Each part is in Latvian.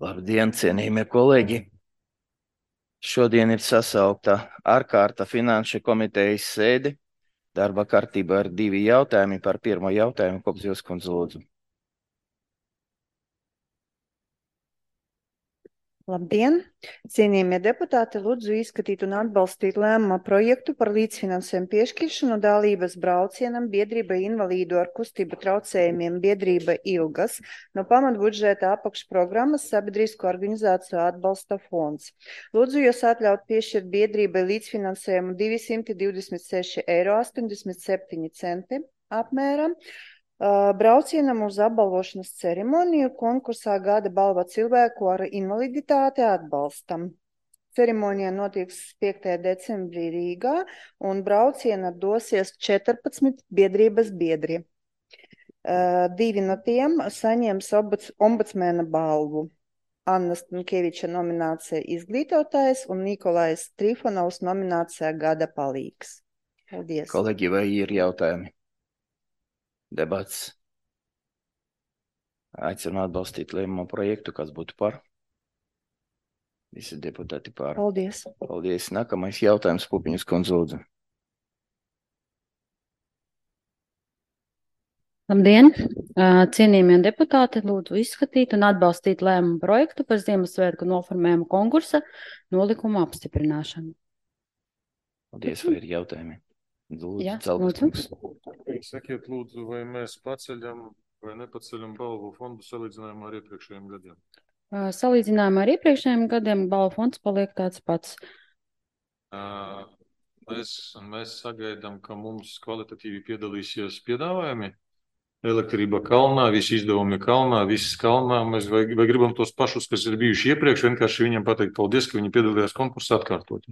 Labdien, cienījamie kolēģi! Šodien ir sasaukta ārkārta finanšu komitejas sēde. Darba kārtībā ir 2 jautājumi. Par pirmo jautājumu Kopzivs kundze lūdzu. Labdien! Cienījamie deputāti, lūdzu izskatīt un atbalstīt lēmuma projektu par līdzfinansējumu piešķiršanu dalības braucienam biedrībai invalīdu ar kustību traucējumiem biedrība Ilgas no pamatbudžeta apakšprogrammas Sabiedrisko organizāciju atbalsta fonds. Lūdzu jūs atļaut piešķirt biedrībai līdzfinansējumu 226,87 eiro apmēram. Braucienam uz apbalvošanas ceremoniju konkursā Gada balva cilvēku ar invaliditāti atbalstam. Ceremonija notiks 5. decembrī Rīgā un brauciena dosies 14 biedrības biedri. 2 no tiem saņems ombudsmena balvu. Anna Stankieviča nominācija izglītotājs un Nikolais Trifonovs nominācija Gada palīgs. Paldies. Kolēģi, vai ir jautājumi? Debats. Aicinu atbalstīt lēmumu projektu, kas būtu par. Visi deputāti par. Paldies. Paldies. Nākamais jautājums Pupiņas kundze lūdzu. Labdien! Cienījamie deputāti, lūdzu izskatīt un atbalstīt lēmumu projektu par Ziemassvētku noformējumu konkursa nolikumu apstiprināšanu. Paldies, vai ir jautājumi? Lūdzu, Jā, Celgas. Sakiet, lūdzu, vai mēs paceļam vai nepaceļam balvu fondu salīdzinājumā ar iepriekšējiem gadiem? Salīdzinājumā ar iepriekšējiem gadiem balvu fonds paliek tāds pats. Mēs sagaidām, ka mums kvalitatīvi piedalīsies piedāvājumi. Elektrība kalnā, visi izdevumi kalnā, viss kalnā. Mēs vai gribam tos pašus, kas ir bijuši iepriekš, vienkārši viņiem pateikt paldies, ka viņi piedalījās konkursā atkārtot.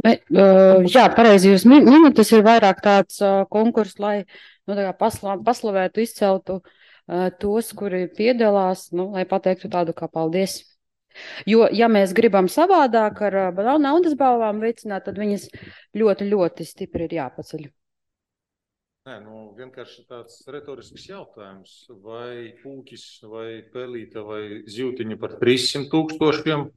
Jā, pareizi jūs minat, tas ir vairāk tāds konkurss, lai paslavētu, izceltu tos, kuri piedalās, lai pateiktu tādu kā paldies. Jo, ja mēs gribam savādāk ar naudas balvām veicināt, tad viņas ļoti, ļoti stipri ir jāpaceļ. Nē, vienkārši tāds retorisks jautājums. Vai pūķis, vai pelīte, vai zivtiņa par 300,000,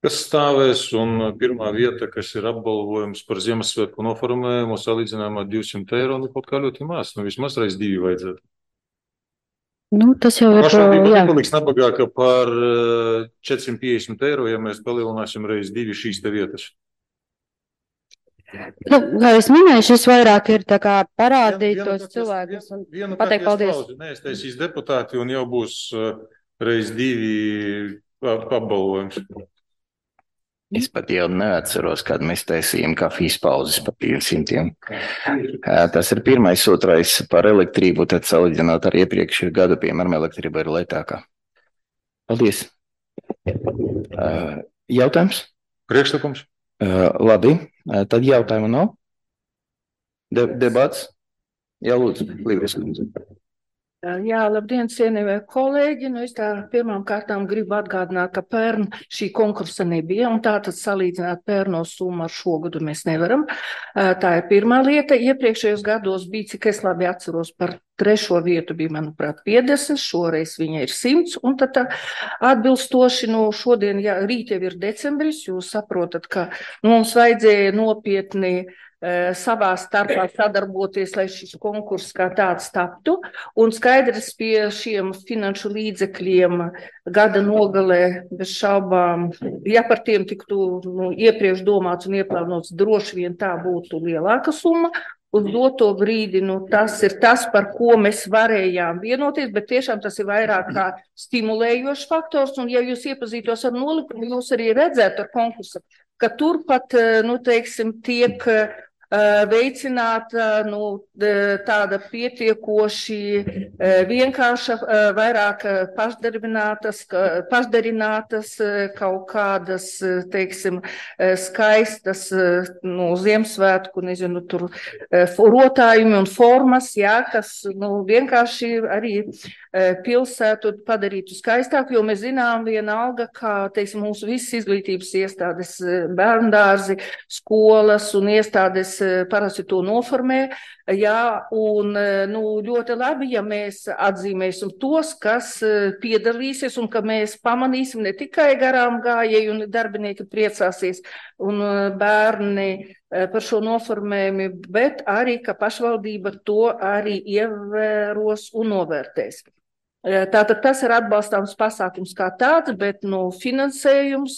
kas stāvēs, un pirmā vieta, kas ir apbalvojums par Ziemassvētku noformējumu, salīdzinājumā 200 eiro, kaut kā ļoti maz. Vismaz reiz 2 vajadzētu. Tas jau ir, jā. Paliks nabagāka par 450 eiro, ja mēs palielināsim reiz 2 šīs te vietas. Kā es minēju, šis vairāk ir tā kā parādīt tos cilvēkus un pateikt paldies. Neiztaisīs deputāti un jau būs reiz 2 apbalvojums. Es pat jau neatceros, kad mēs taisījām kafijas pauzes par 500. Tas ir pirmais, otrais par elektrību, tad salīdzinot ar iepriekšējo gadu, piemēram, elektrība ir lētākā. Paldies. Jautājums? Priekšlikums? Labi, tad jautājumu nav? Debats? Jā, lūdzu, Līvijas kundze. Jā, labdien, cienījamie kolēģi. Es tā pirmām kārtām gribu atgādināt, ka pērn šī konkursa nebija, un tātad salīdzināt pērno summu ar šo gadu mēs nevaram. Tā ir pirmā lieta. Iepriekšējos gados bija, cik es labi atceros, par 3. vietu bija, manuprāt, 50, šoreiz viņa ir 100, un tad atbilstoši šodien, rīt jau ir decembris, jūs saprotat, ka mums vajadzēja nopietni savā starpā sadarboties, lai šis konkurss kā tāds taptu, un skaidrs pie šiem finanšu līdzekļiem gada nogalē bez šaubām, ja par tiem tiktu iepriekš domāts un ieplānots, droši vien tā būtu lielāka summa. Uz doto brīdi, tas ir tas, par ko mēs varējām vienoties, bet tiešām tas ir vairāk kā stimulējošs faktors, un ja jūs iepazītos ar nolikumu, jūs arī redzētu ar konkursu, ka turpat, tiek veicināta tāda pietiekoši vienkārša, vairāk pašdarinātas kaut kādas, skaistas Ziemassvētku, tur rotājumi un formas, kas vienkārši arī pilsētu padarītu skaistāku, jo mēs zinām vienalga, kā, mūsu visas izglītības iestādes, bērndārzi, skolas un iestādes parasti to noformē, jā, un ļoti labi, ja mēs atzīmēsim tos, kas piedalīsies un ka mēs pamanīsim ne tikai garām gājēji un darbinieki priecāsies un bērni par šo noformējumu, bet arī, ka pašvaldība to arī ievēros un novērtēs. Tātad tas ir atbalstāms pasākums kā tāds, bet finansējums,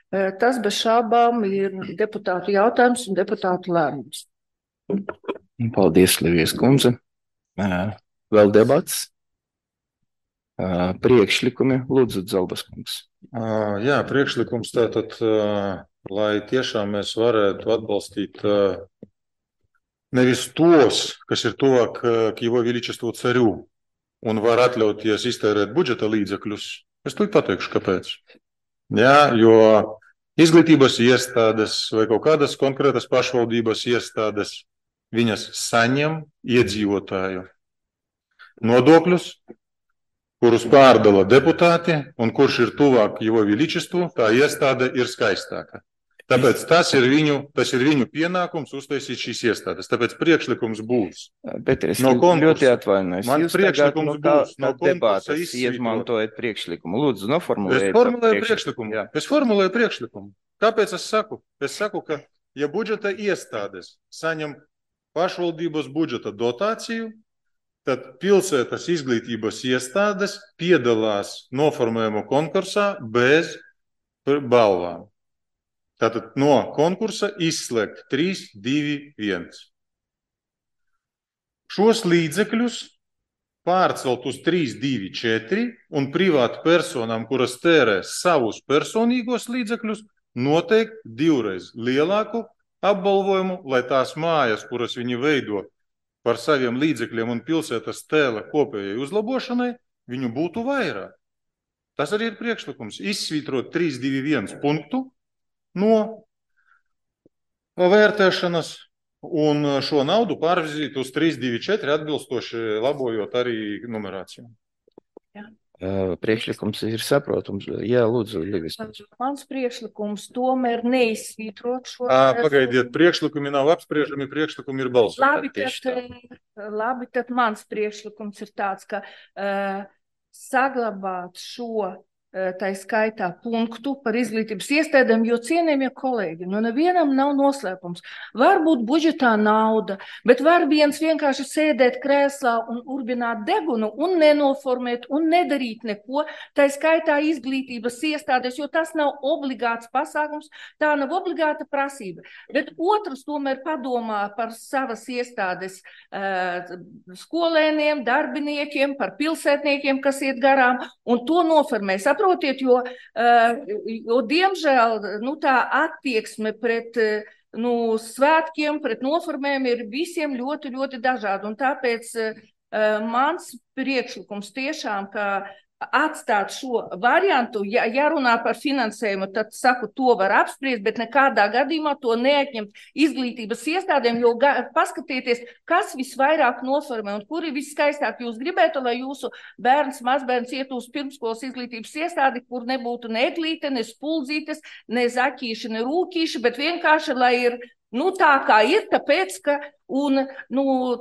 tas bez šābām ir deputātu jautājums un deputātu lēmums. Paldies, Livijas kundze. Vēl debats? Priekšlikumi, lūdzu, Zalbas kungs. Jā, priekšlikums tātad, lai tiešām mēs varētu atbalstīt nevis tos, kas ir tuvāk к его величеству царю, un var atļauties iztērēt budžeta līdzekļus. Es tūlīt pateikšu, kāpēc. Jā, jo izglītības iestādes vai kaut kādas konkrētas pašvaldības iestādes, viņas saņem iedzīvotāju nodokļus, kurus pārdala deputāti, un kurš ir tuvāk его величеству, tā iestāde ir skaistāka. Tāpēc tas ir viņu pienākums uztaisīt šīs iestādes. Tāpēc priekšlikums būs. Pēter, es ļoti atvainojos. Man priekšlikums būs no konkursa izmantojot priekšlikumu. Lūdzu, noformulējiet. Es formulēju priekšlikumu. Kāpēc es saku? Es saku, ka ja budžeta iestādes saņem pašvaldības budžeta dotāciju, tad pilsētas izglītības iestādes piedalās noformējumu konkursā bez balvām. Tātad no konkursa izslēgt 3, 2, 1. Šos līdzekļus pārcelt uz 3, 2, 4 un privātu personām, kuras tērē savus personīgos līdzekļus, noteikt 2 reiz lielāku apbalvojumu, lai tās mājas, kuras viņi veido par saviem līdzekļiem un pilsētas tēla kopējai uzlabošanai, viņu būtu vairāk. Tas arī ir priekšlikums. Izsvītrot 3, 2, 1 punktu no vērtēšanas un šo naudu pārvizīt uz 3, 2, 4 atbilstoši labojot arī numerāciju. Priekšlikums ir saprotams. Jā, lūdzu, Livis. Mans priekšlikums tomēr neizsvītrot šo. Pagaidiet, priekšlikumi nav apspriežami, priekšlikumi ir balsoti. Labi, tad mans priekšlikums ir tāds, ka saglabāt šo tā skaitā punktu par izglītības iestādēm, jo cienījamie kolēģi, nevienam nav noslēpums. Var būt budžetā nauda, bet var viens vienkārši sēdēt krēslā un urbināt degunu un nenoformēt un nedarīt neko, tā skaitā izglītības iestādes, jo tas nav obligāts pasākums, tā nav obligāta prasība. Bet otrs tomēr padomā par savas iestādes skolēniem, darbiniekiem, par pilsētniekiem, kas iet garām, un to noformēs. Saprotiet, jo diemžēl tā attieksme pret svētkiem, pret noformēm ir visiem ļoti, ļoti dažādi. Un tāpēc mans priekšlikums tiešām, ka atstāt šo variantu, ja runā par finansējumu, tad saku, to var apspriest, bet nekādā gadījumā to neatņemt izglītības iestādēm, jo paskatieties, kas visvairāk noformē un kuri viskaistāk jūs gribētu, lai jūsu bērns, mazbērns iet uz pirmskolas izglītības iestādi, kur nebūtu ne eglīte, ne spuldzītes, ne zaķīši, ne rūkīši, bet vienkārši, lai ir tā kā ir, tāpēc, ka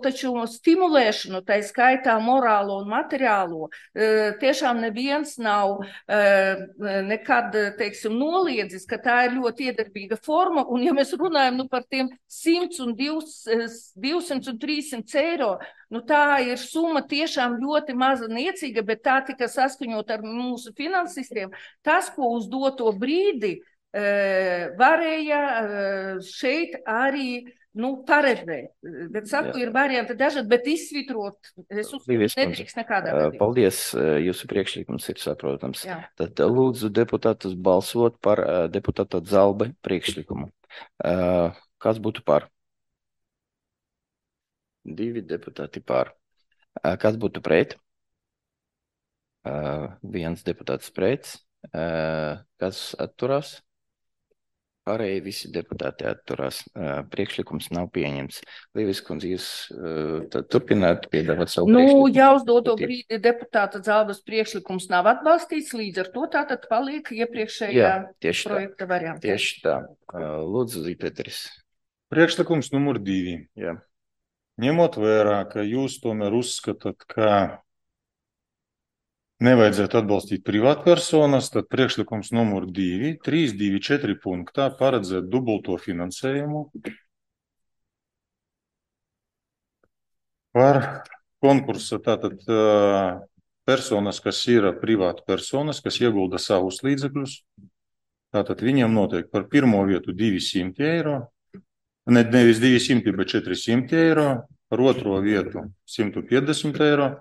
taču stimulēšanu, tā skaitā morālo un materiālo, tiešām neviens nav nekad, noliedzis, ka tā ir ļoti iedarbīga forma, un ja mēs runājam par tiem 100 un 200 un 300 eiro, tā ir summa tiešām ļoti maza niecīga, bet tā tika saskaņot ar mūsu finansistiem. Tas, ko uz doto brīdi varēja šeit arī paredzēt. Bet saku, ir varianti dažādi, bet izsvitrot, es uzskatu, nedrīkst nekādā gadījumā. Paldies, jūsu priekšlikums ir saprotams. Jā. Tad lūdzu deputātus balsot par deputāta Zalbe priekšlikumu. Kas būtu par? 2 deputāti par. Kas būtu pret? 1 deputāts pret. Kas atturās? Pārējie visi deputāti atturās. Priekšlikums nav pieņemts. Līvis kundze, jūs turpināt piedāvāt savu priekšlikumu? Ja uz doto brīdi deputāta Zalbas priekšlikums nav atbalstīts, līdz ar to tātad paliek iepriekšējā projekta variantā. Tieši tā. Lūdzu, Zīpēteris. Priekšlikums numur 2. Jā. Ņemot vērā, ka jūs tomēr uzskatāt, ka nevajadzētu atbalstīt privātpersonas, tad priekšlikums numur 2, 3.2.4 punktā paredzēt dubulto finansējumu par konkursa, tātad personas, kas ir privāta personas, kas iegulda savus līdzekļus, tātad viņiem notiek par pirmo vietu 200 eiro, nevis 200, bet 400 eiro, par otro vietu 150 eiro,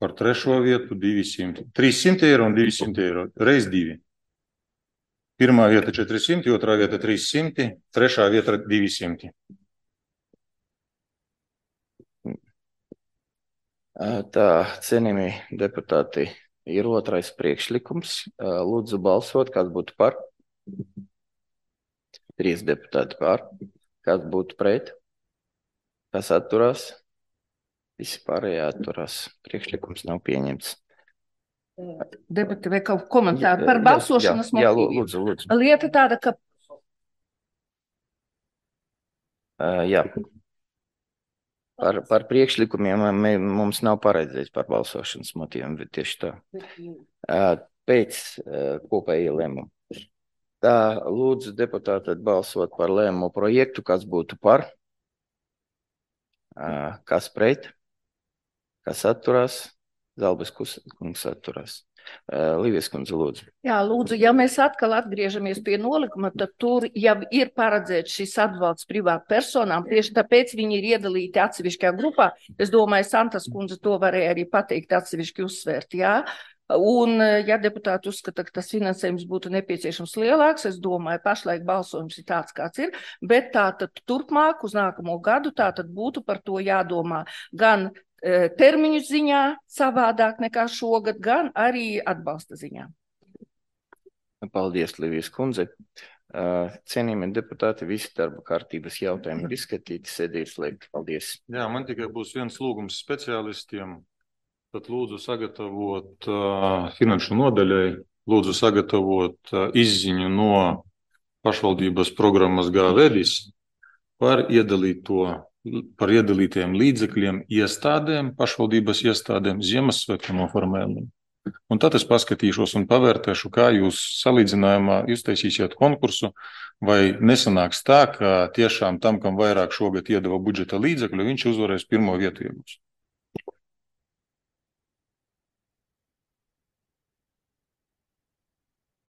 par trešo vietu 200, 300 eiro un 200 eiro, reiz 2. Pirmā vieta 400, otrā vieta 300, trešā vieta 200. Tā, cienījamie deputāti, ir otrais priekšlikums. Lūdzu balsot, kas būtu par. 3 deputāti par. Kas būtu pret? Kas atturās? Visi pārējie atturās. Priekšlikums nav pieņemts. Debati vai kaut komentāru par balsošanas motīviem? Jā, lūdzu. Lieta tāda, ka... Jā. Par priekšlikumiem mums nav paredzēts par balsošanas motīviem, bet tieši tā. Pēc kopēja lēmuma. Tā, lūdzu deputāti balsot par lēmumu projektu, kas būtu par, kas pret, kas atturās, Zalbes kungs atturās. Līvies kundze, lūdzu. Jā, lūdzu, ja mēs atkal atgriežamies pie nolikuma, tad tur jau ir paredzēts šis atbalsts privātu personām, tieši tāpēc viņi ir iedalīti atsevišķā grupā. Es domāju, Santas kundze to varēja arī pateikt atsevišķi uzsvērt, jā. Un, ja deputāti uzskata, ka tas finansējums būtu nepieciešams lielāks, es domāju, pašlaik balsojums ir tāds, kāds ir, bet tātad turpmāk uz nākamo gadu tātad būtu par to jādomā gan termiņu ziņā savādāk nekā šogad, gan arī atbalsta ziņā. Paldies, Līvijas kundze. Cienījamie deputāti, visi darba kārtības jautājumi ir izskatīti, sēdīt slēgt. Paldies. Jā, man tikai būs viens lūgums speciālistiem. Tad lūdzu sagatavot finanšu nodaļai, lūdzu sagatavot izziņu no pašvaldības programmas Gāvedis par iedalītiem līdzekļiem iestādēm, pašvaldības iestādēm Ziemassvētku noformējumu. Un tad es paskatīšos un pavērtēšu, kā jūs salīdzinājumā iztaisīsiet konkursu, vai nesanāks tā, ka tiešām tam, kam vairāk šogad iedeva budžeta līdzekļu, viņš uzvarēs pirmo vietu iegūst.